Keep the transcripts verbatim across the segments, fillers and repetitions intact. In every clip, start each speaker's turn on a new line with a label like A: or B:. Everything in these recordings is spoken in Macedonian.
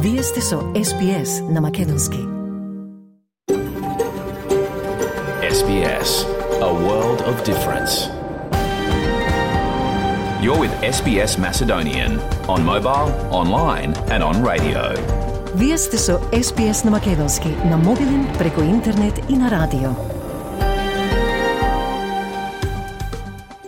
A: Вие сте со Ес Би Ес на Македонски.
B: Ес Би Ес, a world of difference. You're with Ес Би Ес Macedonian on mobile, online and on radio.
A: Вие сте со Ес Би Ес на Македонски на мобилен, преку интернет и на радио.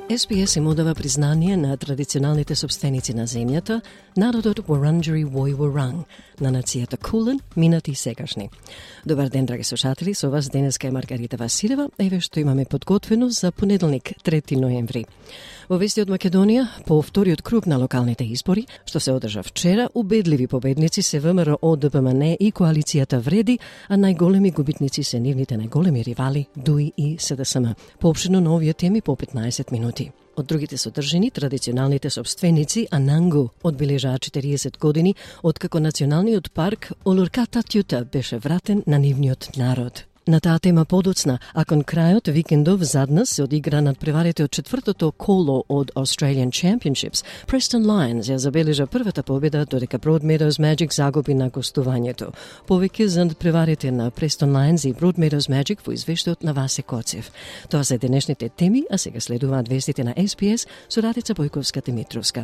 A: Ес Би Ес им одава признание на традиционалните собственици на земјата, народот Wurundjeri Woi Wurrung, на нацијата Кулен, минати и сегашни. Добар ден, драги слушатели, со вас денеска е Маргарита Василева, еве што имаме подготвено за понеделник, трети ноември. Во вести од Македонија, по вториот круг на локалните избори, што се одржа вчера, убедливи победници се ВМРО, Д П М Н и коалицијата Вреди, а најголеми губитници се нивните најголеми ривали Д У И и С Д С М. Поопштено на овие теми по петнаесет минути. Од другите содржини, традиционалните собственици Анангу одбележаа четириесет години откако националниот парк Олурката Тјута беше вратен на нивниот народ. На таа тема подоцна, а кон крајот викендов заднас се одигра надпреварите од четвртото коло од Australian Championships, Preston Lions ја забележа првата победа, додека Broadmeadows Magic загуби на гостувањето. Повеќе за надпреварите на Preston Lions и Broadmeadows Magic во извештајот на Васе Коцев. Тоа се денешните теми, а сега следуваат вестите на Ес Би Ес со Радица Бојковска-Димитровска.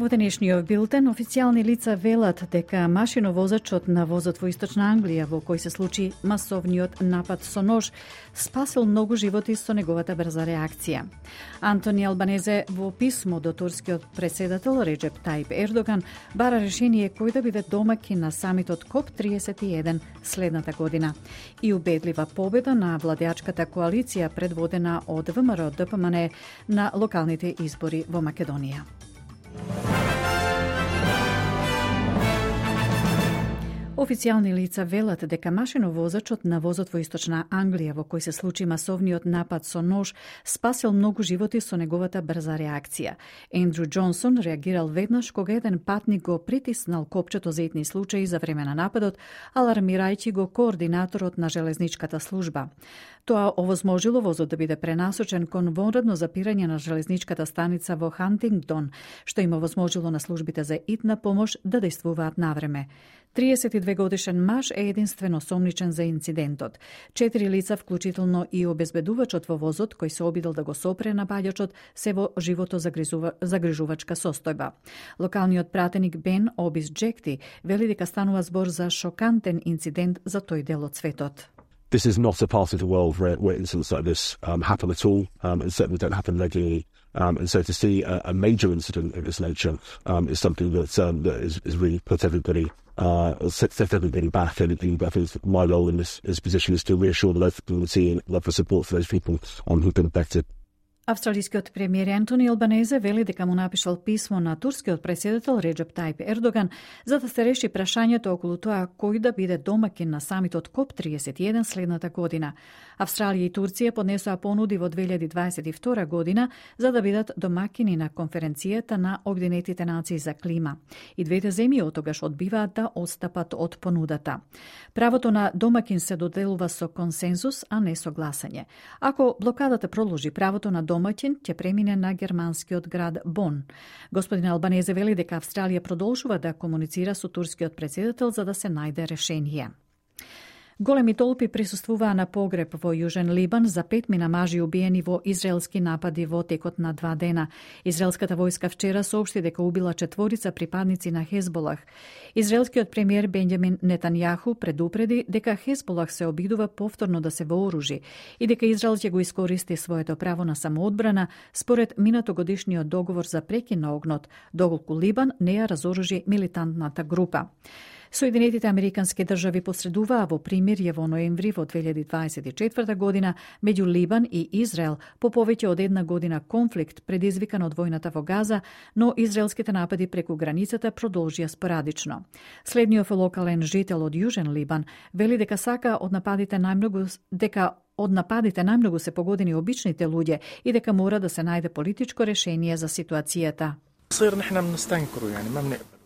C: Во денешниот билтен, официјални лица велат дека машиновозачот на возот во Источна Англија, во кој се случи масовниот напад со нож, спасил многу животи со неговата брза реакција. Антони Албанезе во писмо до турскиот председател Реджеп Тајип Ердоган бара решение кој да биде домаќин на самитот КОП триесет и еден следната година и убедлива победа на владеачката коалиција предводена од ВМРО Д П М Н на локалните избори во Македонија. Официјални лица велат дека машиновозачот на возот во Источна Англија, во кој се случи масовниот напад со нож, спасил многу животи со неговата брза реакција. Ендрю Џонсон реагирал веднаш кога еден патник го притиснал копчето за итни случаи за време на нападот, алармирајќи го координаторот на железничката служба. Тоа овозможило возот да биде пренасочен кон вонредно запирање на железничката станица во Хантингдон, што им овозможило на службите за итна помош да действуваат навреме. триесет и две годишен маж е единствено сомничен за инцидентот. Четири лица, вклучително и обезбедувачот во возот, кој се обидел да го сопре на паѓачот, се во живото загрижувачка состојба. Локалниот пратеник Бен Обис Джекти вели дека станува збор за шокантен инцидент за тој дел од светот.
D: This is not a part of the world where, where incidents like this um, happen at all, um, and certainly don't happen regularly. Um, and so to see a, a major incident of this nature um, is something that, um, that is, is really put everybody, uh, sets everybody back. And I think my role in this, this position is to reassure the local community and love for support for those people on who've been affected.
C: Австралискиот премиер Антони Албанезе вели дека му напишал писмо на турскиот председател Реджеп Тајип Ердоган за да се реши прашањето околу тоа кој да биде домаќин на самитот КОП триесет и еден следната година. Австралија и Турција поднесоа понуди во две илјади дваесет и втора година за да бидат домаќини на конференцијата на Обединетите нации за клима. И двете земји оттогаш одбиваат да отстапат од понудата. Правото на домаќин се доделува со консензус, а не со гласање. Ако блокадата продолжи, правото на домаќин ќе премине на германскиот град Бон. Господин Албанезе вели дека Австралија продолжува да комуницира со турскиот председател за да се најде решение. Големи толпи присуствуваа на погреб во Јужен Либан за петмина мажи убиени во израелски напади во текот на два дена. Израелската војска вчера соопшти дека убила четворица припадници на Хезболах. Израелскиот премиер Бенџамин Нетањаху предупреди дека Хезболах се обидува повторно да се вооружи и дека Израел ќе го искористи своето право на самоодбрана според минатогодишниот договор за прекин на огнот, доколку Либан не ја разоружи милитантната група. Соединетите Американски држави посредуваа во примирје во ноември во две илјади дваесет и четврта година меѓу Либан и Израел по повеќе од една година конфликт предизвикан од војната во Газа, но израелските напади преку границата продолжија спорадично. Следниот локален жител од Јужен Либан вели дека сака од нападите најмногу дека од нападите најмногу се погодени обичните луѓе и дека мора да се најде политичко решение за ситуацијата.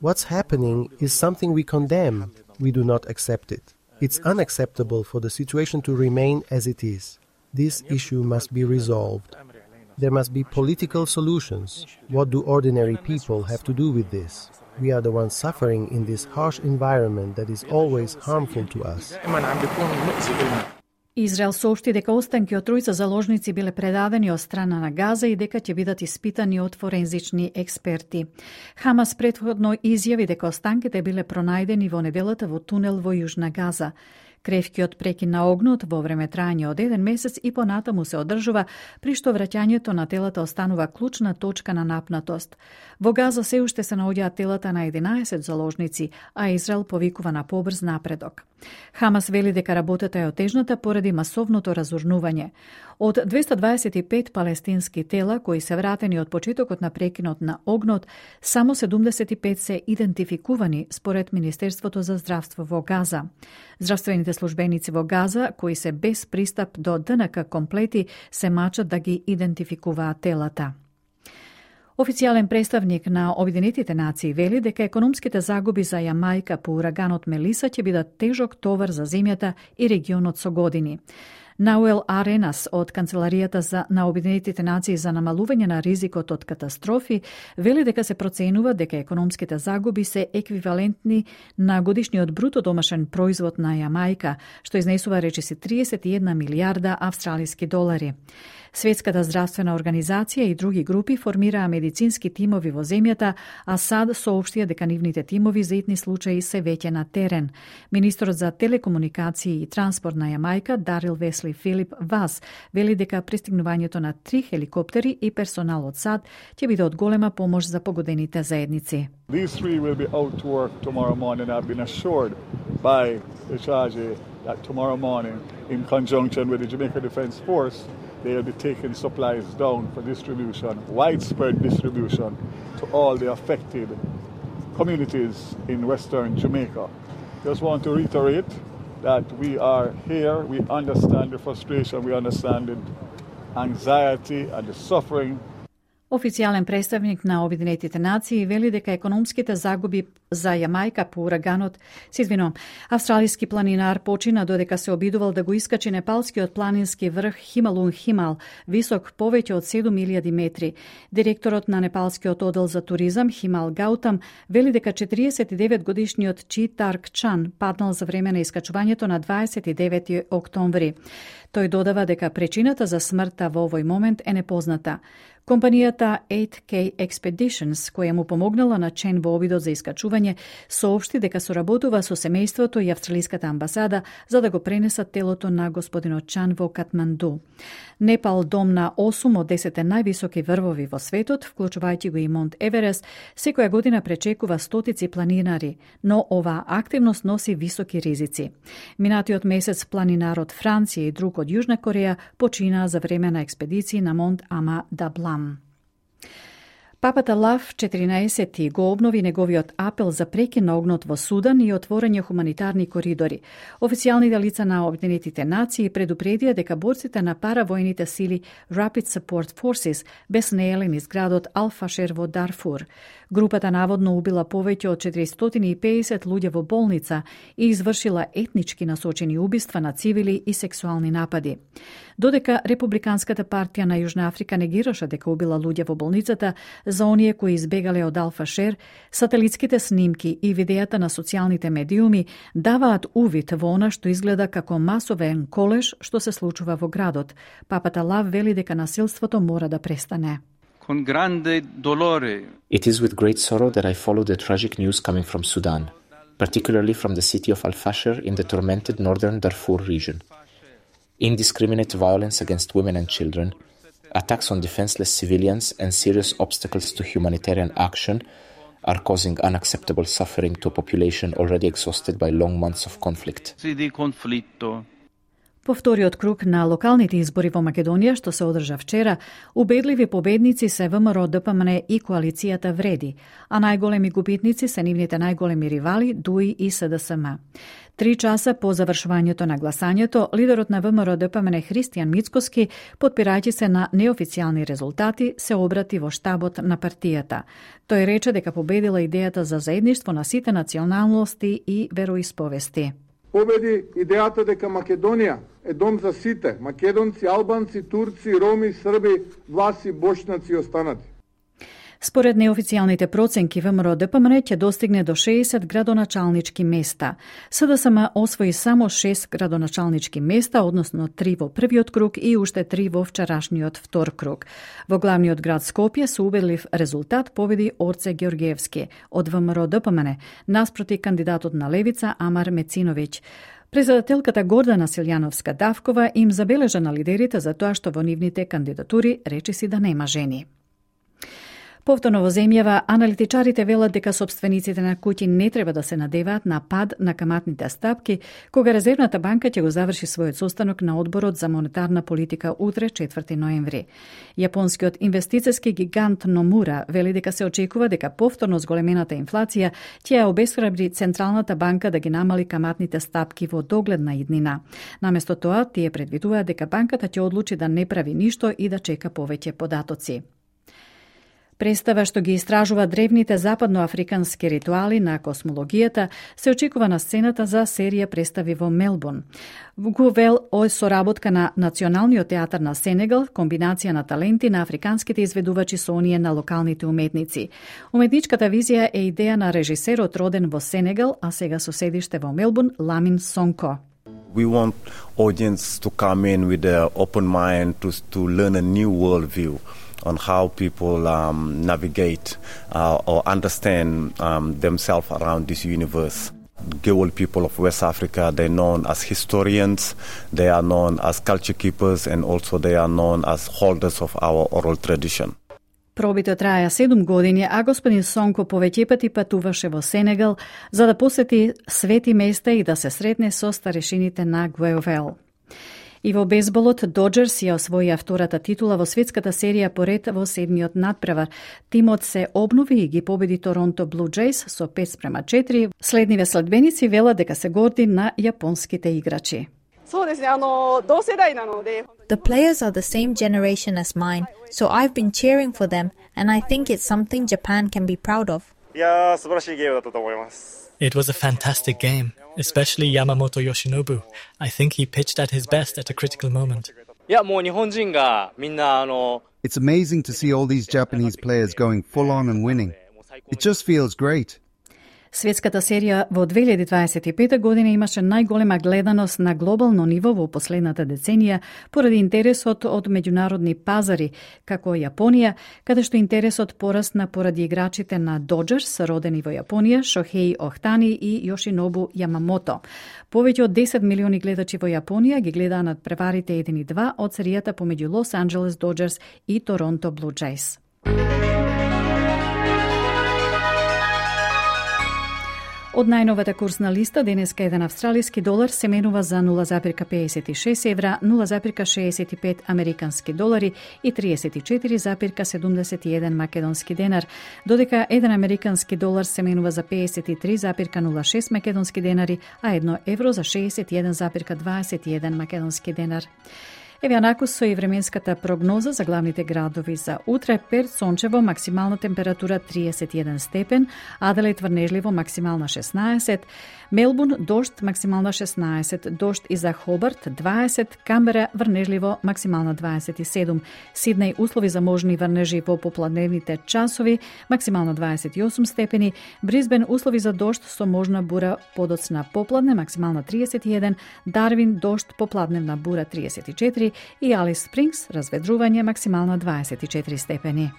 E: What's happening is something we condemn. We do not accept it. It's unacceptable for the situation to remain as it is. This issue must be resolved. There must be political solutions. What do ordinary people have to do with this? We are the ones suffering in this harsh environment that is always harmful to us.
C: Израел соопшти дека останки од тројца заложници биле предадени од страна на Газа и дека ќе бидат испитани од форензични експерти. Хамас претходно изјави дека останките биле пронајдени во неделата во тунел во Јужна Газа. Кревкиот прекин на огнот во време трајање од еден месец и понатаму се одржува, при што враќањето на телата останува клучна точка на напнатост. Во Газа се уште се наоѓаат телата на единаесет заложници, а Израел повикува на побрз напредок. Хамас вели дека работата е отежната поради масовното разурнување. Од двеста дваесет и пет палестински тела кои се вратени од почетокот на прекинот на огнот, само седумдесет и пет се идентификувани според Министерството за здравство во Газа. Здравствените службеници во Газа, кои се без пристап до ДНК комплети, се мачат да ги идентификуваат телата. Официјален представник на Обединетите нации вели дека економските загуби за Јамајка по ураганот Мелиса ќе бидат тежок товар за земјата и регионот со години. Науел Аренас од Канцеларијата за на Обединетите нации за намалување на ризикот од катастрофи вели дека се проценува дека економските загуби се еквивалентни на годишниот бруто домашен производ на Јамајка, што изнесува речиси триесет и една милијарда австралиски долари. Светската здравствена организација и други групи формираа медицински тимови во земјата, а САД соопштија дека нивните тимови за итни случаи се веќе на терен. Министрот за телекомуникации и транспорт на Јамајка, Дарил Весли Филип Вас, вели дека пристигнувањето на три хеликоптери и персонал од САД ќе биде од голема помош за погодените заедници.
F: These three will be out to work tomorrow morning. I've been assured by the charge that tomorrow morning, in conjunction with the Jamaica Defence Force, they will be taking supplies down for distribution, widespread distribution to all the affected communities in Western Jamaica. Just want to reiterate that we are here, we understand the frustration, we understand the anxiety and the suffering.
C: Официјален представник на Обединетите нации вели дека економските загуби за Јамајка по ураганот, се извинувам, австралиски планинар почина додека се обидувал да го искачи непалскиот планински врх Хималун Химал, висок повеќе од седум илјади метри. Директорот на непалскиот одел за туризам Химал Гаутам вели дека четириесет и девет годишниот Чи Тарк Чан паднал за време на искачувањето на дваесет и девети октомври. Тој додава дека причината за смртта во овој момент е непозната. Компанијата eight K Expeditions, која му помогнала на Чен во обидот за искачување, соопшти дека соработува со семејството и австралиската амбасада за да го пренесат телото на господинот Чан во Катманду. Непал, дом на осум од десет највисоки врвови во светот, вклучувајќи го и Монт Еверест, секоја година пречекува стотици планинари, но оваа активност носи високи ризици. Минатиот месец планинар од Франција и друг од Јужна Кореја починаа за време на експедиции на Монт Ама Даблам. Папата Лав четиринаесети го обнови неговиот апел за прекин на огнот во Судан и отворање хуманитарни коридори. Официјалните лица на Обединетите нации предупредија дека борците на паравојните сили Rapid Support Forces беснееле низ градот Ал-Фашер во Дарфур. Групата наводно убила повеќе од четиристотини и педесет луѓе во болница и извршила етнички насочени убиства на цивили и сексуални напади. Додека Републиканската партија на Јужна Африка негираше дека убила луѓе во болницата, за оние кои избегале од Ал-Фашер, сателитските снимки и видеата на социјалните медиуми даваат увид во она што изгледа како масовен колеж што се случува во градот. Папата Лав вели дека насилството мора да престане.
G: It is with great sorrow that I follow the tragic news coming from Sudan, particularly from the city of Al-Fashir in the tormented northern Darfur region. Indiscriminate violence against women and children, attacks on defenseless civilians and serious obstacles to humanitarian action are causing unacceptable suffering to a population already exhausted by long months of conflict.
C: По вториот круг на локалните избори во Македонија, што се одржа вчера, убедливи победници се ВМРО Д П М Н и коалицијата Вреди, а најголеми губитници се нивните најголеми ривали Дуи и С Д С М. Три часа по завршувањето на гласањето, лидерот на ВМРО Д П М Н Христијан Мицкоски, потпирајќи се на неофицијални резултати, се обрати во штабот на партијата. Тој рече дека победила идејата за заедништво на сите националности и вероисповести.
H: Победи идејата дека Македонија е дом за сите, македонци, албанци, турци, роми, срби, власи, бошнаци и останати.
C: Според неофицијалните проценки, ВМРО Д П М Н ќе достигне до шеесет градоначалнички места. С Д С М освои само шест градоначалнички места, односно три во првиот круг и уште три во вчерашниот втор круг. Во главниот град Скопје со убедлив резултат победи Орце Георгиевски од ВМРО Д П М Н, наспроти кандидатот на левица Амар Мециновиќ. Председателката Гордана Силјановска-Давкова им забележа на лидерите за тоа што во нивните кандидатури речиси да нема жени. Повторно во земјава, аналитичарите велат дека собствениците на куќи не треба да се надеваат на пад на каматните стапки, кога Резервната банка ќе го заврши својот состанок на одборот за монетарна политика утре, четврти ноември. Јапонскиот инвестициски гигант Номура вели дека се очекува дека повторно зголемената инфлација ќе ја обесхрабри Централната банка да ги намали каматните стапки во догледна иднина. Наместо тоа, тие предвидуваат дека банката ќе одлучи да не прави ништо и да чека повеќе податоци. Представа што ги истражува древните западноафрикански ритуали на космологијата се очекува на сцената за серија представи во Мелбурн. Гувел е соработка на Националниот театар на Сенегал, комбинација на таленти на африканските изведувачи со оние на локалните уметници. Уметничката визија е идеја на режисерот роден во Сенегал, а сега со седиште во Мелбурн, Ламин Сонко.
I: We want audience to come in with an open mind to to learn a new worldview on how people um, navigate uh, or understand um, themselves around this universe. Gewol people of West Africa, they're known as historians, they are known as culture keepers, and also they are known as holders of our oral tradition.
C: Пробите траја седум години, а господин Сонко повеќе пати патуваше во Сенегал за да посети свети места и да се сретне со старешините на Гуевел. И во бейсболот Доџерс ја освоија втората титула во светската серија поред во седмиот надпревар. Тимот се обнови и ги победи Торонто Блу Џејс со пет спрема четири. Следниве следбеници велат дека се горди на јапонските играчи.
J: The players are the same generation as mine, so I've been cheering for them, and I think it's something Japan can be proud of.
K: It was a fantastic game, especially Yamamoto Yoshinobu. I think he pitched at his best at a critical moment.
L: It's amazing to see all these Japanese players going full on and winning. It just feels great.
C: Светската серија во две илјади дваесет и пета година имаше најголема гледаност на глобално ниво во последната деценија поради интересот од меѓународни пазари, како Јапонија, каде што интересот порасна поради играчите на Доџерс, родени во Јапонија, Шохеи Охтани и Јошинобу Јамамото. Повеќе од десет милиони гледачи во Јапонија ги гледаа надпреварите еден и два од серијата помеѓу Лос Анџелес Доџерс и Торонто Блу Џејс. Од најновата курсна листа, денеска еден австралиски долар се менува за нула запирка пеесет и шест евра, нула запирка шеесет и пет американски долари и триесет и четири запирка седумдесет и еден македонски денар, додека еден американски долар се менува за пеесет и три запирка нула шест македонски денари, а едно евро за шеесет и еден запирка дваесет и еден македонски денар. Еве накус со и временската прогноза за главните градови за утре. Перт сончево, максимална температура триесет и еден степен, Аделаид врнежливо, максимална шеснаесет, Мелбурн дожд, максимална шеснаесет, дожд и за Хобарт дваесет, Камбера врнежливо, максимална дваесет и седум, Сиднеј услови за можни врнежи во попладневните часови, максимална дваесет и осум степени, Брисбен услови за дожд со можна бура подоцна попладне, максимална триесет и еден, Дарвин дожд попладневна бура триесет и четири и Алис Спрингс разведрување, максимална дваесет и четири степени.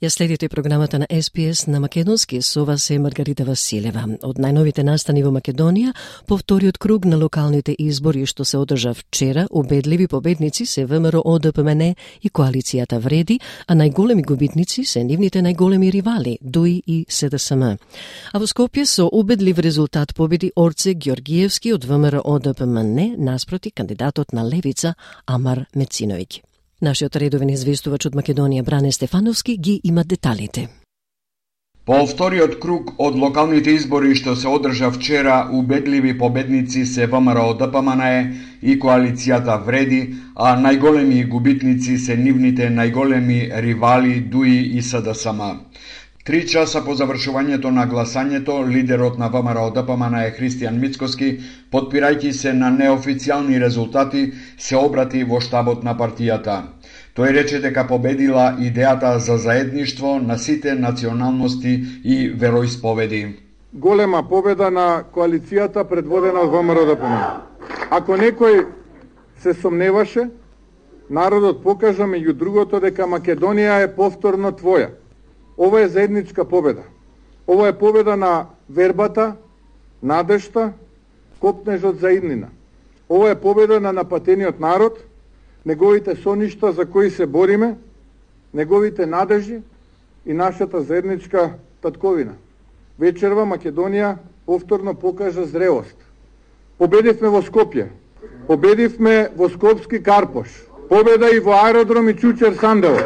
A: Ја следите програмата на Ес Би Ес на македонски, со вас е Маргарита Василева. Од најновите настани во Македонија, по вториот круг на локалните избори што се одржа вчера, убедливи победници се ВМРО Д П М Н и коалицијата Вреди, а најголеми губитници се нивните најголеми ривали, Дуи и С Д С М. А во Скопје со убедлив резултат победи Орце Георгиевски од ВМРО Д П М Н наспроти кандидатот на левица Амар Мециновиќ. Нашиот редовен известувач од Македонија Бране Стефановски ги има деталите.
M: По вториот круг од локалните избори што се одржа вчера, убедливи победници се ВМРО Д П М Н Е и коалицијата Вреди, а најголеми губитници се нивните најголеми ривали ДУИ и С Д С М. Три часа по завршувањето на гласањето, лидерот на ВМРО Д П М Н Е Христијан Мицкоски, потпирајќи се на неофицијални резултати, се обрати во штабот на партијата. Тој рече дека победила идејата за заедништво на сите националности и вероисповеди.
H: Голема победа на коалицијата предводена од ВМРО Д П М Н Е. Ако некој се сомневаше, народот покажа меѓу другото дека Македонија е повторно твоја. Ова е заедничка победа. Ова е победа на вербата, надежта, копнежот за иднина. Ова е победа на напатениот народ, неговите соништа за кои се бориме, неговите надежи и нашата заедничка татковина. Вечерва Македонија повторно покажа зрелост. Победивме во Скопје, победивме во Скопски Карпош, победа и во аеродром и Чучер Сандево.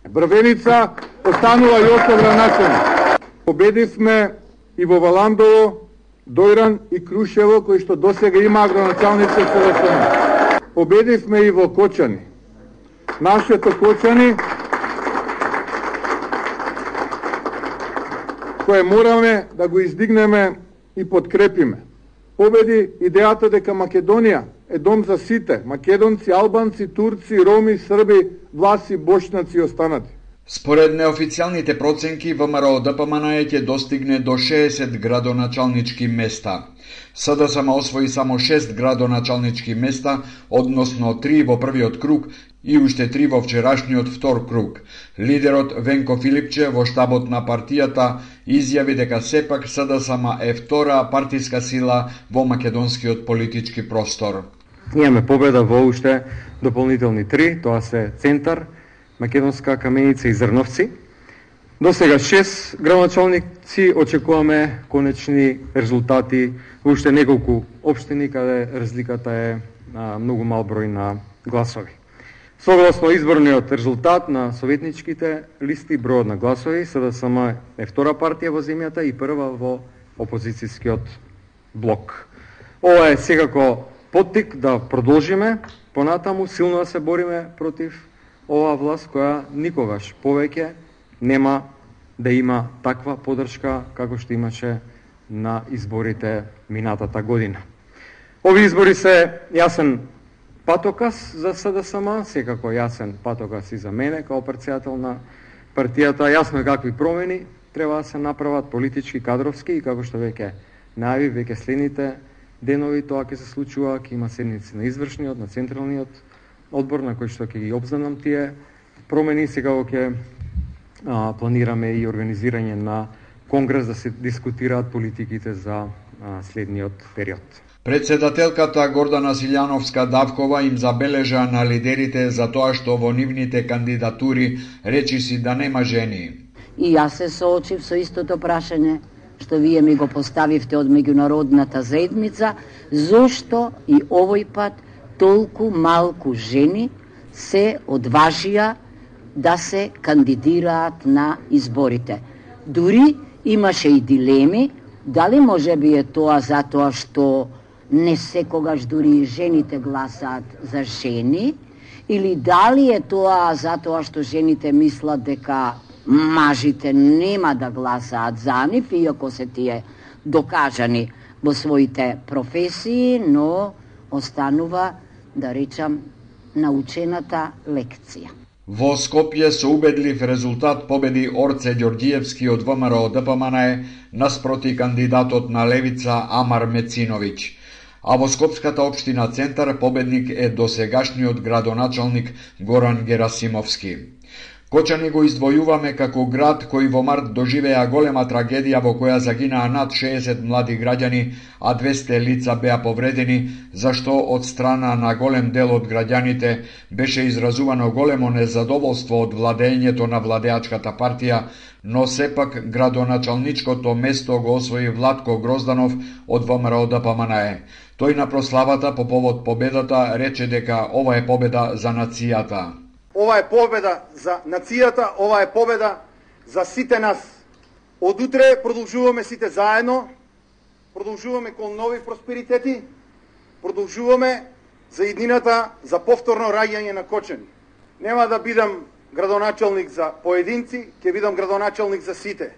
H: Брвеница останува Јосовра начелник. Победивме и во Валандово, Дојран и Крушево, кои што досега има агроначалници С Д С М. Победивме и во Кочани. Нашето Кочани, кое мораме да го издигнеме и подкрепиме. Победи идејата дека Македонија е дом за сите, македонци, албанци, турци, роми, срби, власи, бошнаци и останати.
M: Според неофицијалните проценки, ВМРО Д П М Н Е ќе достигне до шеесет градоначалнички места. С Д С М освои само шест градоначалнички места, односно три во првиот круг и уште три во вчерашниот втор круг. Лидерот Венко Филипче во штабот на партијата изјави дека сепак С Д С М е втора партиска сила во македонскиот политички простор.
N: Имаме победа во уште дополнителни три, тоа се Центар, Македонска Каменица и Зрновци. До сега шест градоначалници, очекуваме конечни резултати во уште неколку општини каде разликата е а, многу мал број на гласови. Согласно изборниот резултат на советничките листи, бројот на гласови, С Д С М е втора партија во земјата и прва во опозицијскиот блок. Ова е секако поттик да продолжиме понатаму силно да се бориме против оваа власт која никогаш повеќе нема да има таква поддршка како што имаше на изборите минатата година. Овие избори се јасен патоказ за С Д С М, секако јасен патоказ и за мене како претседател на партијата. Јасно е какви промени треба да се направат политички, кадровски и како што веќе најави, веќе следните денови тоа ќе се случува, ќе има седници на извршниот, на централниот одбор на кој што ќе ги обзнанам тие промени. Сега ќе а, планираме и организирање на конгрес да се дискутираат политиките за а, следниот период.
M: Председателката Гордана Силјановска-Давкова им забележа на лидерите за тоа што во нивните кандидатури речиси да нема жени.
O: И јас се соочив со истото прашање што вие ми го поставивте од меѓународната заедница, зошто и овој пат толку малку жени се одважија да се кандидираат на изборите. Дури имаше и дилеми, дали може би е тоа затоа што не секогаш дури жените гласаат за жени, или дали е тоа затоа што жените мислат дека мажите нема да гласаат за нив, иако се тие докажани во своите професии, но останува, да речам, научената лекција.
M: Во Скопје со убедлив резултат победи Орце Ѓорѓиевски од ВМРО Д П М Н Е наспроти кандидатот на левица Амар Мециновиќ. А во Скопската општина Центар победник е досегашниот градоначалник Горан Герасимовски. Кочани го издвојуваме како град кој во март доживеа голема трагедија во која загинаа над шеесет млади граѓани, а двесте лица беа повредени, зашто од страна на голем дел од граѓаните беше изразувано големо незадоволство од владењето на владеачката партија, но сепак градоначалничкото место го освои Владко Грозданов од ВМРО Д П М Н Е. Тој на прославата по повод победата рече дека ова е победа за нацијата.
P: Ова е победа за нацијата, ова е победа за сите нас.
H: Од утре продолжуваме сите заедно, продолжуваме кон нови просперитети, продолжуваме за иднината за повторно раѓање на Кочани. Нема да бидам градоначалник за поединци, ќе бидам градоначалник за сите.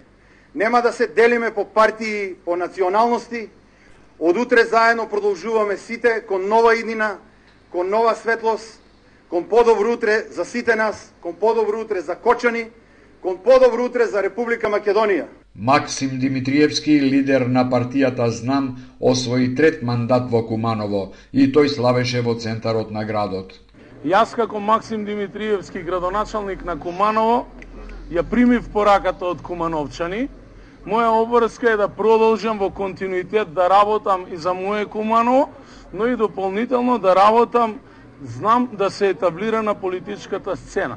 H: Нема да се делиме по партии, по националности. Од утре заедно продолжуваме сите кон нова иднина, кон нова светлост, кон подобро утре за сите нас, кон подобро утре за Кочани, кон подобро утре за Република Македонија.
M: Максим Димитриевски, лидер на партијата Знам, освои трет мандат во Куманово и тој славеше во центарот на градот.
P: Јас како Максим Димитриевски, градоначалник на Куманово, ја примив пораката од кумановчани. Моја обврска е да продолжам во континуитет да работам и за моје Куманово, но и дополнително да работам, знам да се етаблира на политичката сцена.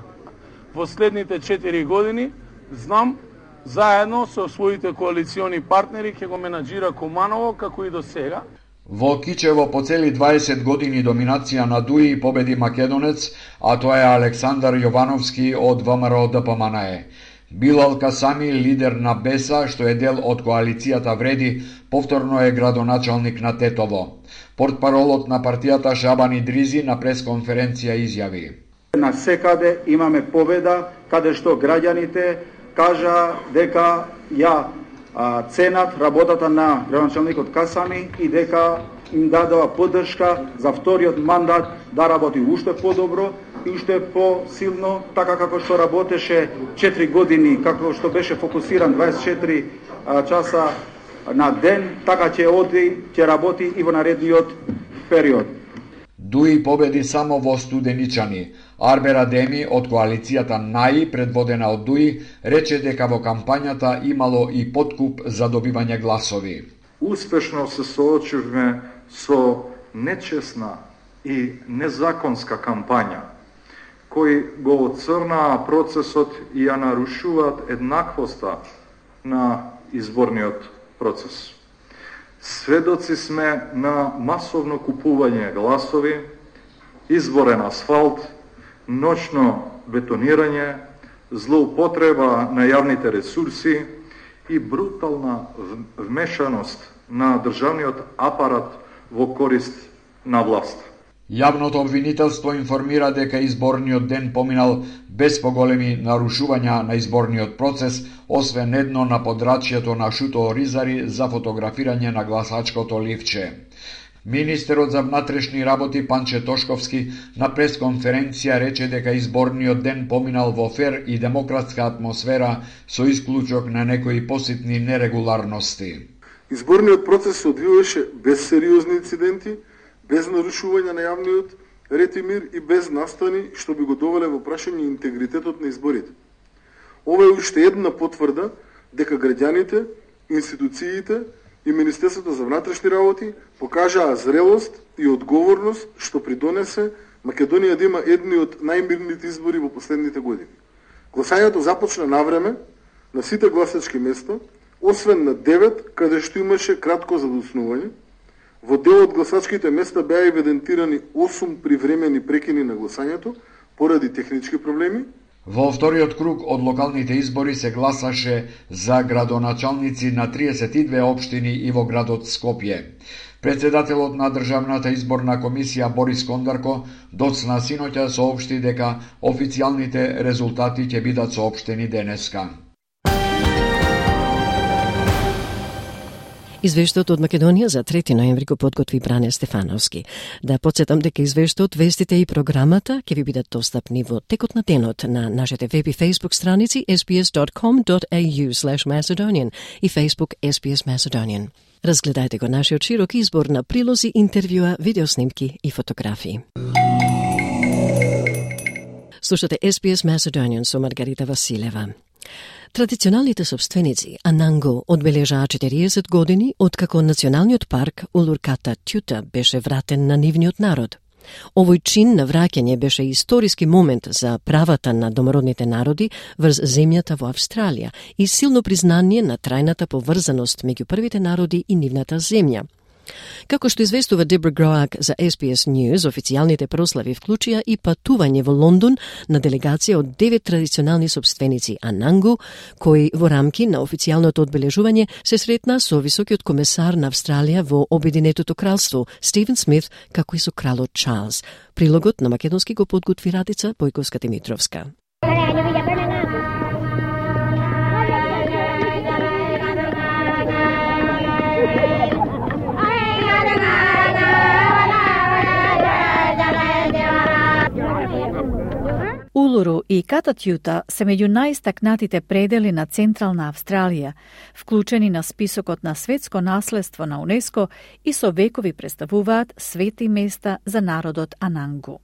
P: Во следните четири години, знам, заедно со своите коалициони партнери ќе го менаџира Куманово како и до сега.
M: Во Кичево по цели дваесет години доминација на ДУИ победи македонец, а тоа е Александар Јовановски од ВМРО ДПМНЕ. Билал Касами, лидер на Беса, што е дел од коалицијата Вреди, повторно е градоначалник на Тетово. Портпаролот на партијата Шабан Идризи на пресконференција изјави:
Q: На секаде имаме победа, каде што граѓаните кажа дека ја а, ценат работата на градоначалникот Касами и дека им дадува поддршка за вториот мандат да работи уште подобро и уште посилно, така како што работеше четири години, како што беше фокусиран дваесет и четири а, часа на ден, така ќе оди, ќе работи и во наредниот период.
M: ДУИ победи само во Студеничани. Арбер Адеми од коалицијата НАИ, предводена од ДУИ, рече дека во кампањата имало и подкуп за добивање гласови.
R: Успешно се соочивме со нечесна и незаконска кампања, кои го оцрнаа процесот и ја нарушуваат еднаквоста на изборниот процес. Сведоци сме на масовно купување гласови, изборен асфалт, ноќно бетонирање, злоупотреба на јавните ресурси и брутална вмешаност на државниот апарат во корист на власт.
M: Јавното обвинителство информира дека изборниот ден поминал без поголеми нарушувања на изборниот процес, освен едно на подрачјето на Шуто Оризари за фотографирање на гласачкото ливче. Министерот за внатрешни работи Панче Тошковски на пресконференција рече дека изборниот ден поминал во фер и демократска атмосфера со исклучок на некои поситни нерегуларности.
H: Изборниот процес се одвиваше без сериозни инциденти, без нарушување на јавниот ред и мир и без настани што би го довеле во прашање интегритетот на изборите. Ова е уште една потврда дека граѓаните, институциите и Министерството за внатрешни работи покажаа зрелост и одговорност што придонесе Македонија да има едни од најмирните избори во последните години. Гласањето започна навреме на сите гласачки места, освен на девет каде што имаше кратко задоснување. Во дел од гласачките места беа евидентирани осум привремени прекини на гласањето поради технички проблеми.
M: Во вториот круг од локалните избори се гласаше за градоначалници на триесет и две општини и во градот Скопје. Председателот на Државната изборна комисија Борис Кондарко доцна синоќа соопшти дека официјалните резултати ќе бидат соопштени денеска.
A: Извештајот од Македонија за трети ноември го подготви Бране Стефановски. Да подсетам дека извештајот, вестите и програмата ќе ви бидат достапни во текот на денот на нашите веб и Facebook страници ес би ес dot com dot a u slash macedonian и Facebook ес би ес Macedonian. Разгледајте го нашиот широк избор на прилози, интервјуа, видеоснимки и фотографии. Слушате ес би ес Macedonian со Маргарита Василева. Традиционалните собственици Ананго одбележаа четириесет години откако националниот парк Улурката Тјута беше вратен на нивниот народ. Овој чин на враќање беше историски момент за правата на домородните народи врз земјата во Австралија и силно признание на трајната поврзаност меѓу првите народи и нивната земја. Како што известува Дебра Гроак за Ес Би Ес News, официјалните прослави вклучија и патување во Лондон на делегација од девет традиционални собственици Анангу, кои во рамки на официјалното одбележување се сретна со високиот комесар на Австралија во Обединетото кралство Стивен Смит, како и со кралот Чарлс. Прилогот на македонски го подготви Радица Бојковска-Димитровска.
C: Улуру и Кататјута се меѓу најистакнатите предели на Централна Австралија, вклучени на списокот на светско наследство на УНЕСКО и со векови представуваат свети места за народот Анангу.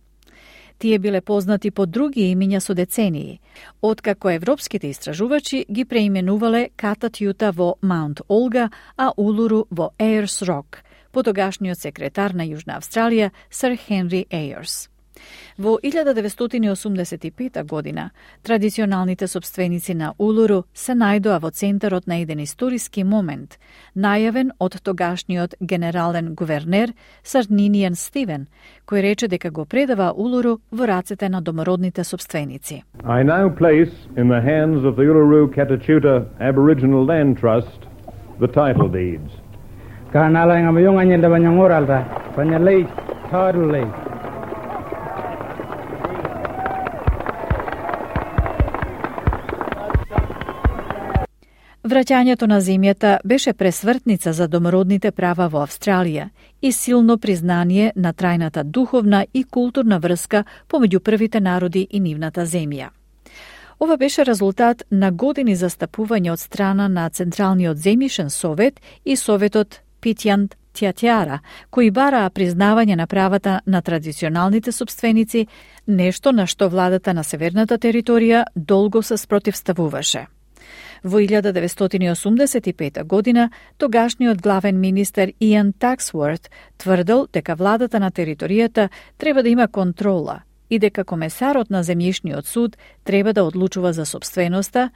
C: Тие биле познати по други имиња со децении, откако европските истражувачи ги преименувале Кататјута во Маунт Олга, а Улуру во Ејрс Рок, по тогашниот секретар на Јужна Австралија, Сир Хенри Ејрс. Во илјада деветстотини и осумдесет и пета година, традиционалните собственици на Улуру се најдоа во центарот на еден историски момент, најавен од тогашниот генерален гувернер Сир Нinian Стивен, кој рече дека го предава Улуру во рацете на домородните собственици.
S: I now place in the hands of the Uluru Katachuta Aboriginal Land Trust the title deeds.
T: Kanala nga mayong anya da banyang oral ta, panyalay title.
C: Враќањето на земјата беше пресвртница за домородните права во Австралија и силно признание на трајната духовна и културна врска помеѓу првите народи и нивната земја. Ова беше резултат на години застапување од страна на Централниот земјишен совет и советот Питјан Тјатјара, кои бараа признавање на правата на традиционалните собственици, нешто на што владата на северната територија долго се спротивставуваше. Во илјада деветстотини и осумдесет и пета година, тогашниот главен министер Иан Таксворт тврдел дека владата на територијата треба да има контрола и дека комесарот на земјишниот суд треба да одлучува за собственоста,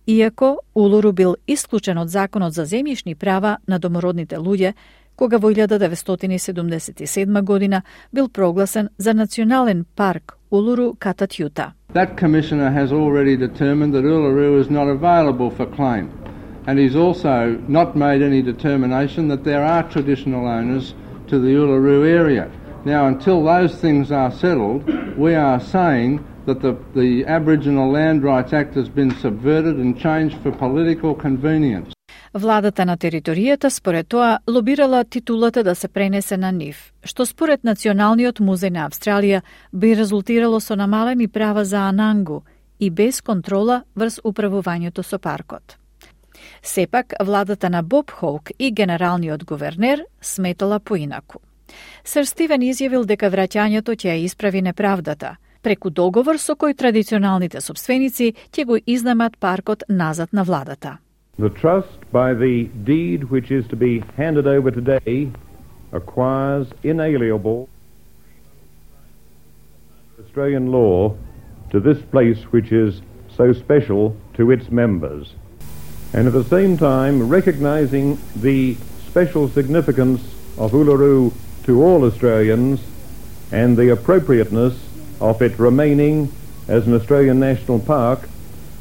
C: иако Улуру бил исклучен од законот за земјишни права на домородните луѓе, кога во илјада деветстотини седумдесет и седма година бил прогласен за национален парк Улуру Кататјута.
U: That commissioner has already determined that Uluru is not available for claim, and he's also not made any determination that there are traditional owners to the Uluru area. Now, until those things are settled, we are saying that the, the Aboriginal Land Rights Act has been subverted and changed for political convenience.
C: Владата на територијата според тоа лобирала титулата да се пренесе на нив, што според Националниот музеј на Австралија би резултирало со намалени права за Анангу и без контрола врз управувањето со паркот. Сепак, владата на Боб Хоук и генералниот гувернер сметала поинаку. Сир Стивен изјавил дека враќањето ќе ја исправи неправдата, преку договор со кој традиционалните собственици ќе го изнемат паркот назад на владата.
S: The trust, by the deed which is to be handed over today, acquires inalienable Australian law to this place which is so special to its members, and at the same time recognising the special significance of Uluru to all Australians and the appropriateness of it remaining as an Australian national park,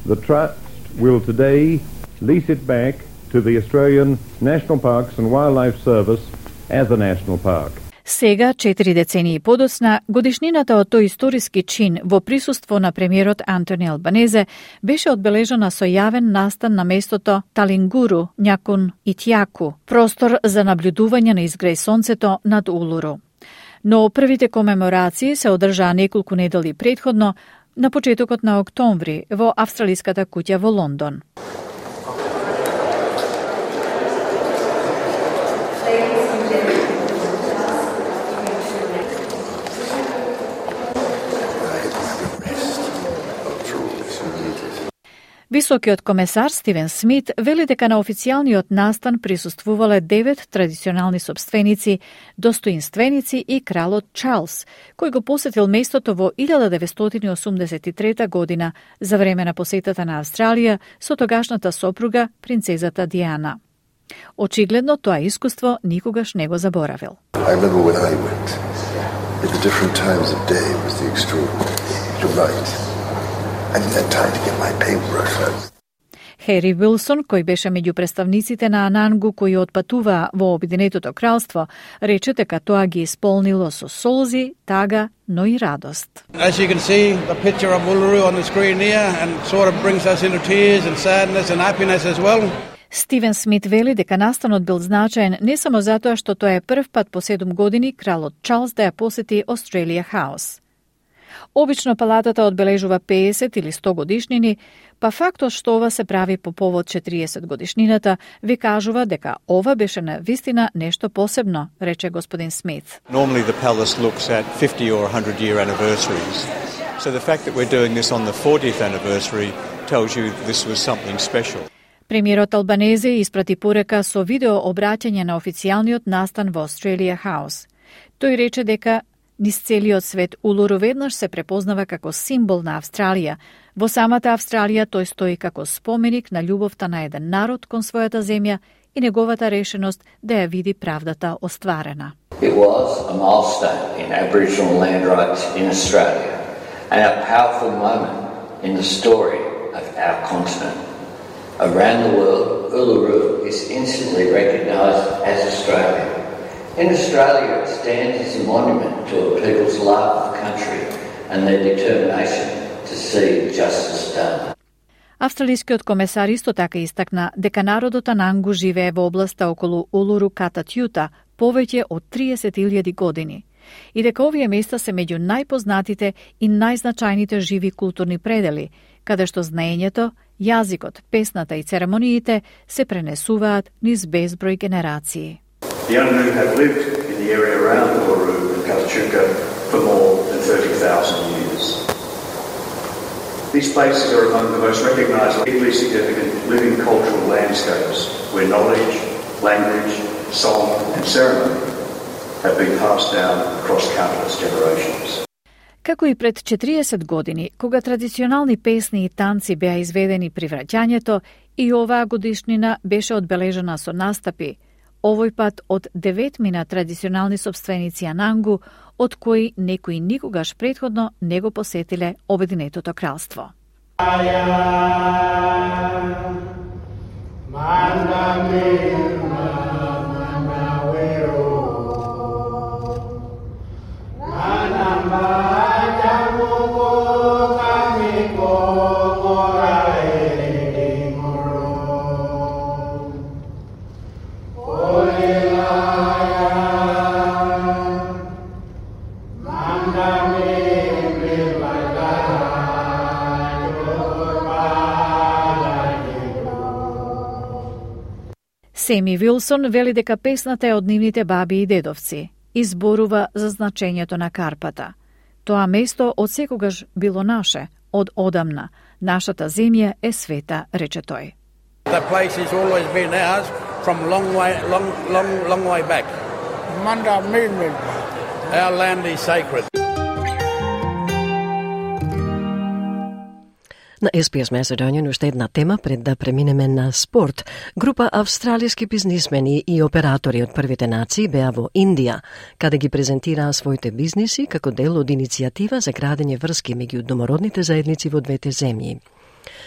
S: the trust will today lease it back to the Australian National Parks and Wildlife Service as a national park.
C: Сега, четири децении подоцна, годишнината од тој историски чин во присуство на премиерот Антони Албанезе беше одбележана со јавен настан на местото Талингуру, Някун и Тјаку, простор за наблюдување на изгреј сонцето над Улуру. Но првите комеморации се одржаа неколку недели претходно, на почетокот на октомври, во Австралиската куќа во Лондон. Високиот комесар Стивен Смит вели дека на официјалниот настан присуствувале девет традиционални собственици, достоинственици и кралот Чарлс, кој го посетил местото во илјада деветстотини и осумдесет и трета година за време на посетата на Австралија со тогашната сопруга принцезата Диана. Очигледно тоа искуство никогаш не го заборавил.
B: I remember when I went, at the different times of day was the extraordinary. You're right. I didn't have time to get my paintbrush out.
C: Хери Вилсон, кој беше меѓу представниците на Анангу кои отпатуваа во Обединетото кралство, рече дека тоа ги исполнило со солзи, тага, но и радост.
V: As you can see, the picture of Uluru on the screen here and sort of brings us into tears and sadness and happiness as well.
C: Стивен Смит вели дека настанот бил значаен не само затоа што тоа е прв пат по седум години кралот Чарлс да ја посети Australia House. Обично палатата одбележува педесет или сто годишнини, па фактот што ова се прави по повод четириесет годишнината ви кажува дека ова беше на вистина нешто посебно, рече господин Смит.
W: Normally the palace looks at fifty or one hundred year anniversaries. So the fact that we're doing this on the fortieth anniversary tells you this was something special.
C: Премиерот Албанезе испрати порека со видео обраќање на официјалниот настан во Australia House. Тој рече дека низ целиот свет Улуру веднаш се препознава како символ на Австралија. Во самата Австралија тој стои како споменик на љубовта на еден народ кон својата земја и неговата решеност да ја види правдата остварена.
X: It was a milestone in Aboriginal land rights in Australia and a powerful moment in the story of our continent. Around the world, Uluru is instantly recognised as Australia. In Australia, it stands as a monument to a people's love of country and their determination to see justice done.
C: Австралискиот комесар исто така истакна дека народот Анангу живее во областа околу Улуру Кататјута повеќе од триесет илјади години и дека овие места се меѓу најпознатите и најзначајните живи културни предели, каде што знаењето, јазикот, песната и церемониите се пренесуваат низ безброј генерации.
Y: The Ununu have lived in the area around Uluru and Katachuka for more than thirty thousand years. These places are among the most recognised legally significant living cultural landscapes where knowledge, language, song and ceremony have been passed down across countless generations.
C: Како и пред четириесет години, кога традиционални песни и танци беа изведени при враќањето, и оваа годишнина беше одбележена со настапи, овој пат од деветмина традиционални собственици Анангу, од кои некои никогаш претходно не го посетиле Обединетото кралство. Семи Вилсон вели дека песната е од нивните баби и дедовци и зборува за значењето на Карпата. Тоа место од секогаш било наше, од одамна. Нашата земја е света, рече тој.
V: The place has always been ours from long way, long, long, long way back. Manda Milmil. Our land is sacred.
A: На Ес Би Ес Macedonian уште една тема пред да преминеме на спорт. Група австралиски бизнисмени и оператори од првите нации беа во Индија, каде ги презентираа своите бизниси како дел од иницијатива за градење врски меѓу домородните заедници во двете земји.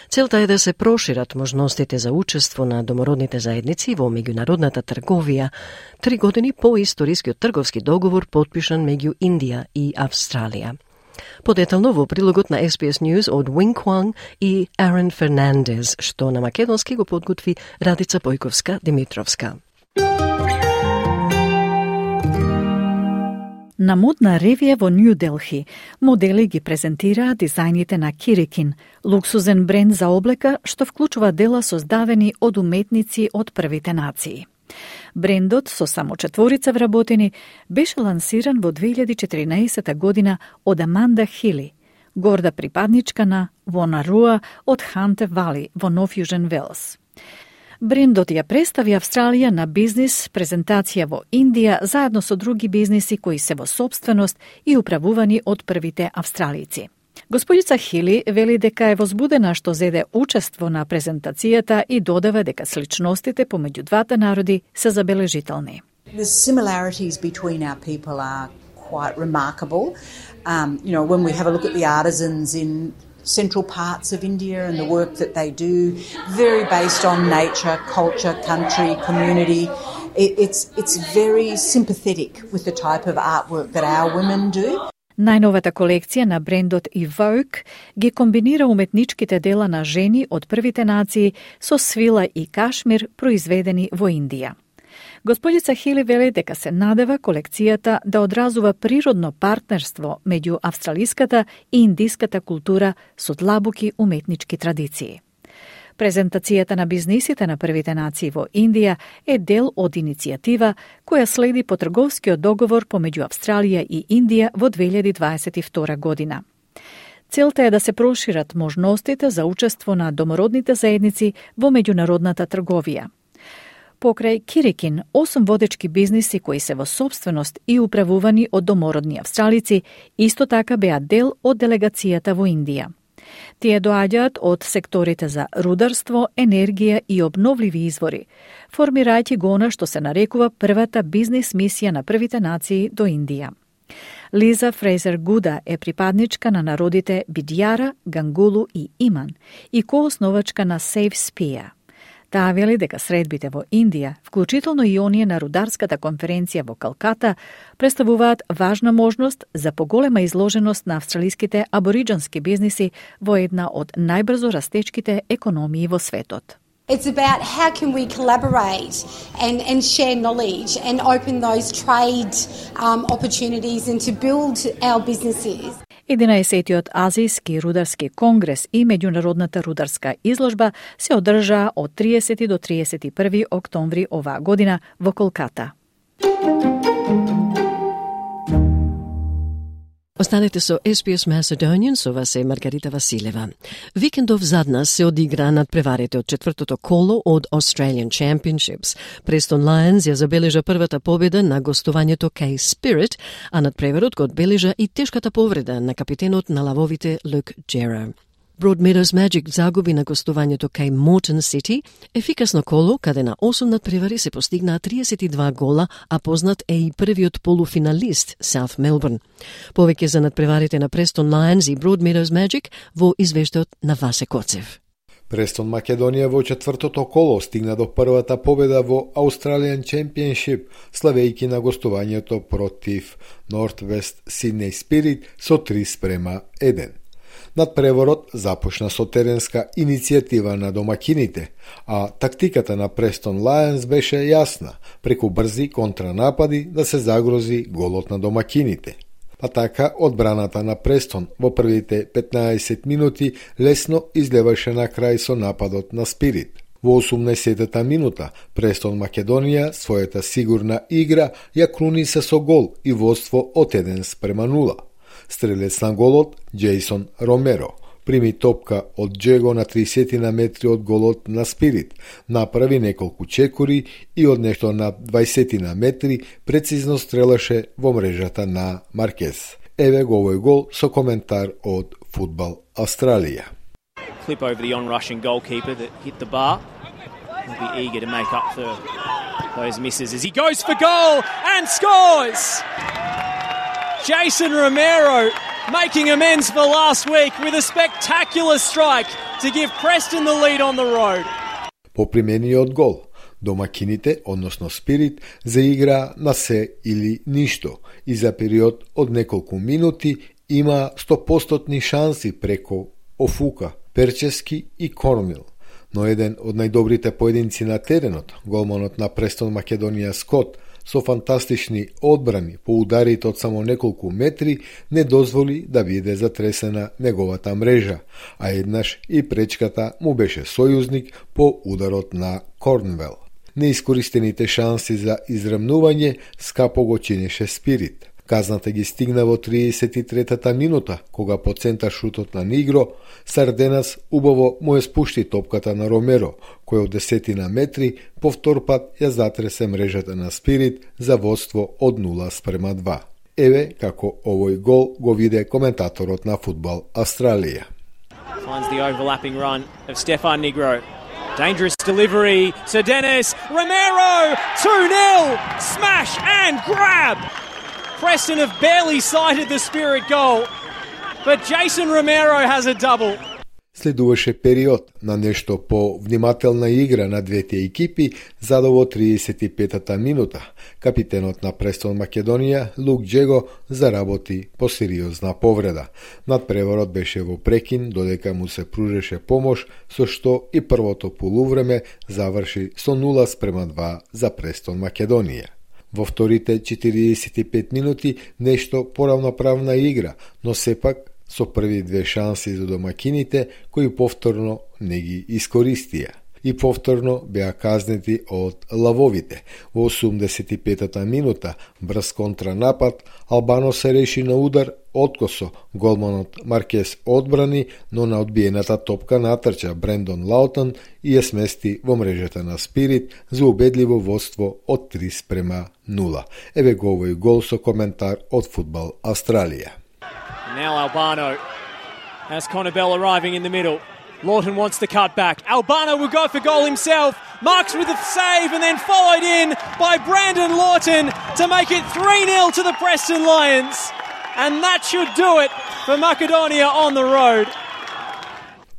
A: Целта е да се прошират можностите за учество на домородните заедници во меѓународната трговија, три години по историскиот трговски договор подпишан меѓу Индија и Австралија. Подетално во прилогот на Ес Би Ес News од Wing Kwang и Арен Фернандес, што на македонски го подготви Радица Бојковска-Димитровска.
C: На модна ревија во Нью Делхи, модели ги презентираа дизајните на Кирикин, луксузен бренд за облека што вклучува дела создавени од уметници од првите нации. Брендот со само четворица вработени беше лансиран во две илјади и четиринаесета година од Аманда Хили, горда припадничка на Вонаруа од Ханте Вали во Нов Јужен Велс. Брендот ја представи Австралија на бизнис презентација во Индија заедно со други бизниси кои се во сопственост и управувани од првите австралици. Господица Хили вели дека е возбудена што зеде учество на презентацијата и додава дека сличностите помеѓу двата народи се забележителни.
D: The similarities between our people are quite remarkable. Um, you know, when we have a look at the artisans in central parts of India and the work that they do, very based on nature, culture, country, community. It, it's, it's very sympathetic with the type of artwork that our women do.
C: Најновата колекција на брендот Evoke ги комбинира уметничките дела на жени од првите нации со свила и кашмир произведени во Индија. Господица Хили вели дека се надева колекцијата да одразува природно партнерство меѓу австралиската и индиската култура со длабоки уметнички традиции. Презентацијата на бизнисите на првите нации во Индија е дел од иницијатива која следи по трговскиот договор помеѓу Австралија и Индија во две илјади дваесет и втора година. Целта е да се прошират можностите за учество на домородните заедници во меѓународната трговија. Покрај Кирикин, осум водечки бизниси кои се во собственост и управувани од домородни австралици, исто така беа дел од делегацијата во Индија. Тие доаѓаат од секторите за рударство, енергија и обновливи извори, формирајќи го она што се нарекува првата бизнис мисија на првите нации до Индија. Лиза Фрейзер Гуда е припадничка на народите Бидјара, Гангулу и Иман и коосновачка на Save Spear. Таа вели дека средбите во Индија, вклучително и оние на рударската конференција во Калката, представуваат важна можност за поголема изложеност на австралиските абориџански бизниси во една од најбрзо растечките економии во светот.
E: It's about how can we collaborate and, and share knowledge and open those trade um, opportunities and to build our businesses.
C: единаесеттиот Азијски рударски конгрес и меѓународната рударска изложба се одржаа од триесети до триесет и први октомври оваа година во Колката.
A: Останете со Ес Би Ес Macedonian, со вас е Маргарита Василева. Викендов зад нас се одигра надпреварите од четвртото коло од Australian Championships. Престон Лајонс ја забележа првата победа на гостувањето кај Спирит, а надпреварот го одбележа и тешката повреда на капитенот на лавовите Люк Джера. Broadmeadows Magic загуби на гостувањето кај Moreton City, ефикасно коло каде на осум надпревари се постигнаа триесет и два гола, а познат е и првиот полуфиналист South Melbourne. Повеќе за надпреварите на Preston Lions и Broadmeadows Magic во извештајот на Васе Коцев.
F: Престон Македонија во четвртото коло стигна до првата победа во Australian Championship, славејќи на гостувањето против Northwest Sydney Spirit со три спрема еден. Надпреворот започна со теренска иницијатива на домакините, а тактиката на Preston Lions беше јасна, преку брзи контранапади да се загрози голот на домакините. Па така, одбраната на Престон во првите петнаесет минути лесно излеваше на крај со нападот на Спирит. Во осумнаесеттата минута, Престон Македонија својата сигурна игра ја круниса со гол и водство од еден спрема нула. Стрелец на голот, Джейсон Ромеро, прими топка од Джего на тридесет на метри од голот на Спирит, направи неколку чекори и од нешто на дваесет на метри прецизно стрелаше во мрежата на Маркез. Еве го овој гол со коментар од Фудбал Австралија.
G: Flip over the on-rushing goalkeeper that hit the bar. He'll be eager to make up for those misses as he goes for goal and scores! Jason Romero making amends for last week with a spectacular strike to give Preston the lead on the road.
F: По примениот гол, домакините, односно Спирит, заигра на се или ништо и за период од неколку минути има сто проценти шанси преко Офука, Перчески и Кормил. Но еден од најдобрите поединци на теренот, голманот на Престон Македонија Скот, со фантастични одбрани по ударите од само неколку метри, не дозволи да биде затресена неговата мрежа, а еднаш и пречката му беше сојузник по ударот на Корнвел. Неискористените шанси за израмнување скапо го чинеше Спирит. Казната ги стигна во триесет и третата минута, кога по центар шутот на Нигро, Сарденас убаво му ја спушти топката на Ромеро, кој од десетина метри повтор пат ја затресе мрежата на Спирит за водство од нула спрема два. Еве како овој гол го виде коментаторот на Фудбал Австралија.
G: Finds the overlapping run of Stefan Negro. Dangerous delivery. Sir Dennis Romero, two nil. Smash and grab. Preston have barely sighted the Spirit goal, but Jason Romero has a double.
F: Следуваше период на нешто по-внимателна игра на двете екипи, за до во триесет и петата минута. Капитенот на Престон Македонија, Лук Джего, заработи по сериозна повреда. Надпреварот беше во прекин, додека му се пружеше помош, со што и првото полувреме заврши со нула спрема два за Престон Македонија. Во вторите четириесет и пет минути нешто поравноправна игра, но сепак со први две шанси за домакините, кои повторно не ги искористија. И повторно беа казнети од лавовите. Во осумдесет и петата минута, брз контранапад, Албано се реши на удар откосо. Голманот Маркес одбрани, но на одбиената топка натрча Брендон Лаутон и ја смести во мрежата на Спирит за убедливо водство од три спрема нула. Еве го овој гол со коментар од Фудбал Австралија.
G: Now Albano has Connor Bell arriving in the middle. Lawton wants to cut back. Albano will go for goal himself. Marks with a save and then followed in by Brandon Lawton to make it three nil to the Preston Lions. And that should do it for Macedonia on the road.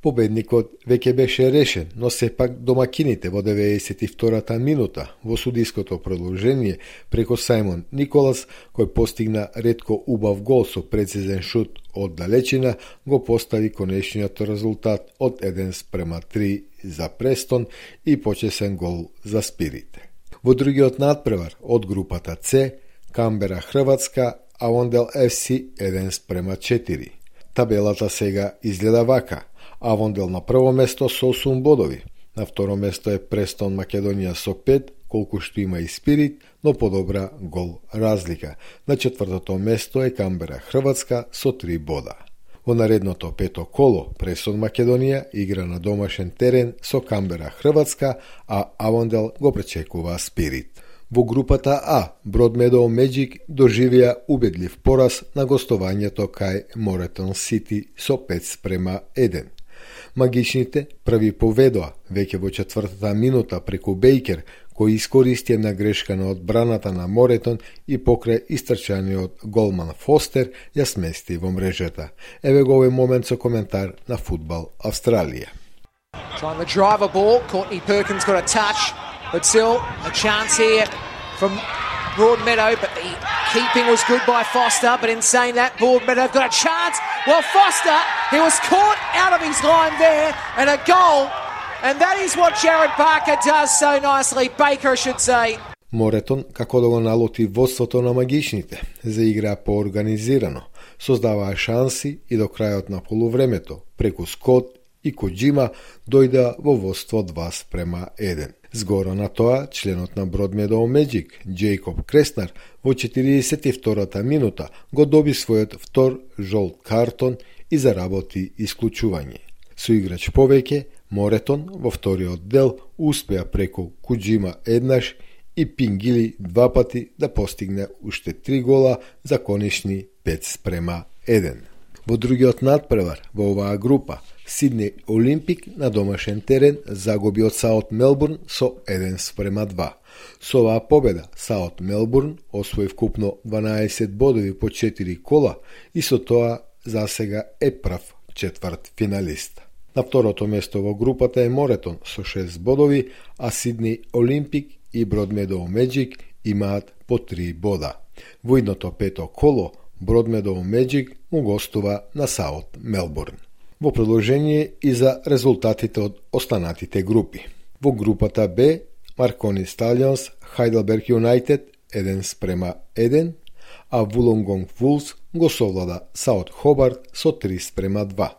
F: Победникот веќе беше решен, но сепак домакините во деветдесет и втората минута во судиското продолжение преко Сајмон Николас, кој постигна ретко убав гол со прецизен шут од далечина, го постави конечниот резултат од еден спрема три за Престон и почесен гол за Спирит. Во другиот надпревар од групата С, Камбера Хрватска, Авондел еф си еден спрема четири. Табелата сега изгледа вака. Авондел на прво место со осум бодови. На второ место е Престон Македонија со пет, колку што има и Спирит, но подобра гол разлика. На четвртото место е Камбера Хрватска со три бода. Во наредното пето коло, Престон Македонија игра на домашен терен со Камбера Хрватска, а Авондел го пречекува Спирит. Во групата А, Broadmeadow Magic доживија убедлив пораз на гостувањето кај Moreton City со пет спрема еден. Магичните први поведоа веќе во четвртата минута преку Бейкер, кој искористи една грешка на одбраната на Моретон и покрај истрчаниот голман Фостер ја смести во мрежата. Еве го овој момент со коментар на Фудбал Австралија.
I: Trying the driver ball, Courtney Perkins got a touch, but still a chance here from Broadmeadow, but the keeping was good by Foster, but in saying that, Broadmeadow got a chance. Well, Foster, he was caught out of his line there, and a goal, and that is what Jared Barker does so nicely, Baker, I should say.
F: Моретон, како да го налоти водството на магичните, заиграа поорганизирано, создаваа шанси и до крајот на полувремето, преку Скот и Коджима дојдеа во водство два спрема еден. Згоро на тоа, членот на Broadmeadow Magic, Джейкоб Креснар, во четириесет и втората минута го доби својот втор жолт картон и заработи исклучување. Со играч повеќе, Моретон во вториот дел успеа преку Коджима еднаш и Пингили два пати да постигне уште три гола за конечни пет спрема еден. Во другиот надпревар во оваа група, Сиднеј Олимпик на домашен терен загуби од Саут Мелбурн со еден спрема два. Со оваа победа Саут Мелбурн освои вкупно дванаесет бодови по четири кола и со тоа засега е прв четврт финалист. На второто место во групата е Моретон со шест бодови, а Сиднеј Олимпик и Broadmeadow Magic имаат по три бода. Во идното пето коло Broadmeadow Magic му гостува на Саут Мелбурн. Во продолжение и за резултатите од останатите групи. Во групата Б, Маркони Сталионс, Хайделберг Юнайтед еден спрема еден, а Вулонгонг Вулс го совлада Саут Хобарт со три спрема два.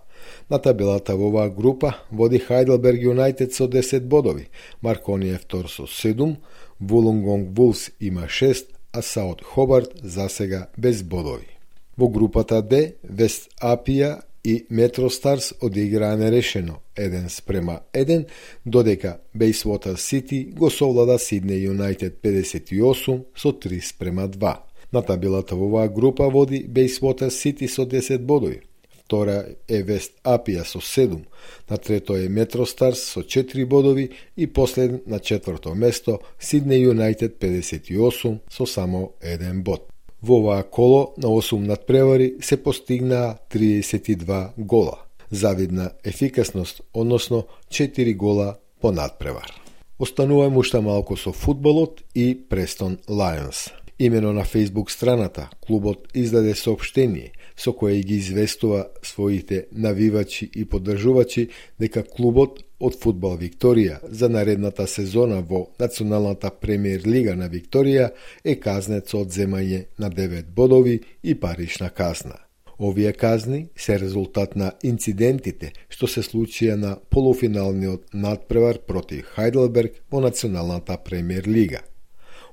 F: На табелата во оваа група води Хайделберг Юнайтед со десет бодови, Маркони е втор со седум, Вулонгонг Вулс има шест, а Саут Хобарт засега без бодови. Во групата Д, Вест Апија и Метро Старс одиграа нерешено еден спрема еден, додека Бейсвотер Сити го совлада Сиднеј Юнайтед педесет и осум со три спрема два. На табелата во оваа група води Bayswater City со десет бодови. Втора е Вест Апија со седум, на трето е Метростарс со четири бодови и последен на четврто место Сиднеј Юнајтед педесет и осум со само еден бод. Во оваа коло на осум надпревари се постигнаа триесет и два гола. Завидна ефикасност, односно четири гола по надпревар. Остануваме уште малку со фудбалот и Престон Лајонс. Имено на Facebook страната, клубот издаде соопштение со кое ги известува своите навивачи и поддржувачи дека клубот од Фудбал Викторија за наредната сезона во Националната премиер лига на Викторија е казнет со одземање на девет бодови и парична казна. Овие казни се резултат на инцидентите што се случија на полуфиналниот надпревар против Хајделберг во Националната премиер лига.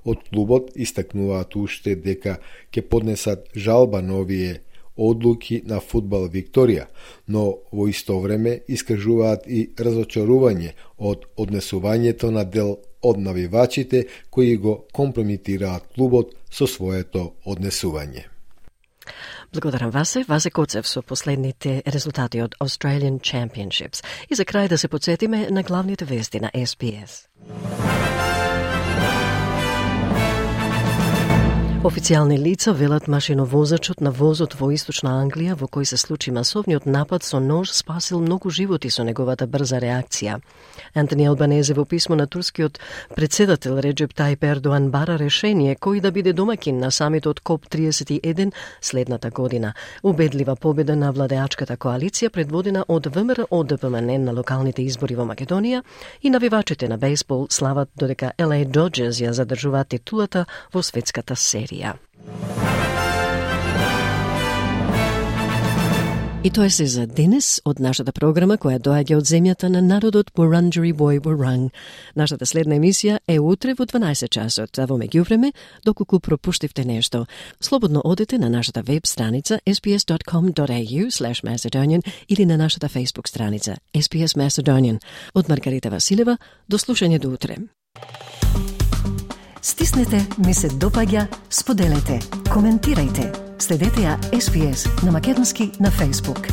F: Од клубот истакнуваат уште дека ќе поднесат жалба на овие одлуки на Фудбал Викторија, но во исто време искажуваат и разочарување од однесувањето на дел од навивачите кои го компрометираат клубот со своето однесување.
A: Благодарам Васе. Васе Коцев со последните резултати од Australian Championships. И за крај да се подсетиме на главните вести на Ес Би Ес. Официјални лица велат машиновозачот на возот во Источна Англија во кој се случи масовниот напад со нож спасил многу животи со неговата брза реакција. Антони Албанезе во писмо на турскиот председател Реджеп Тајип Ердоан бара решение кој да биде домакин на самитот Коп триесет и еден следната година. Убедлива победа на владеачката коалиција предводена од Вэ Ем Ер О Д П М Н на локалните избори во Македонија и навивачите на бейсбол слават додека Ел Ей Доџерс ја задржуваат титулата во светската серија. И тоа е се за денес од нашата програма која доаѓа од земјата на народот Wurundjeri Woi Wurrung. Нашата следна емисија е утре во дванаесет часот, а во меѓувреме, доколку пропуштивте нешто, слободно одете на нашата веб страница ес би ес dot com dot a u slash macedonian или на нашата Facebook страница Ес Би Ес Macedonian. Од Маргарита Василева, до слушање до утре.
J: Стиснете, ми се допаѓа, споделете, коментирајте. Следете ја Ес Би Ес на македонски на Facebook.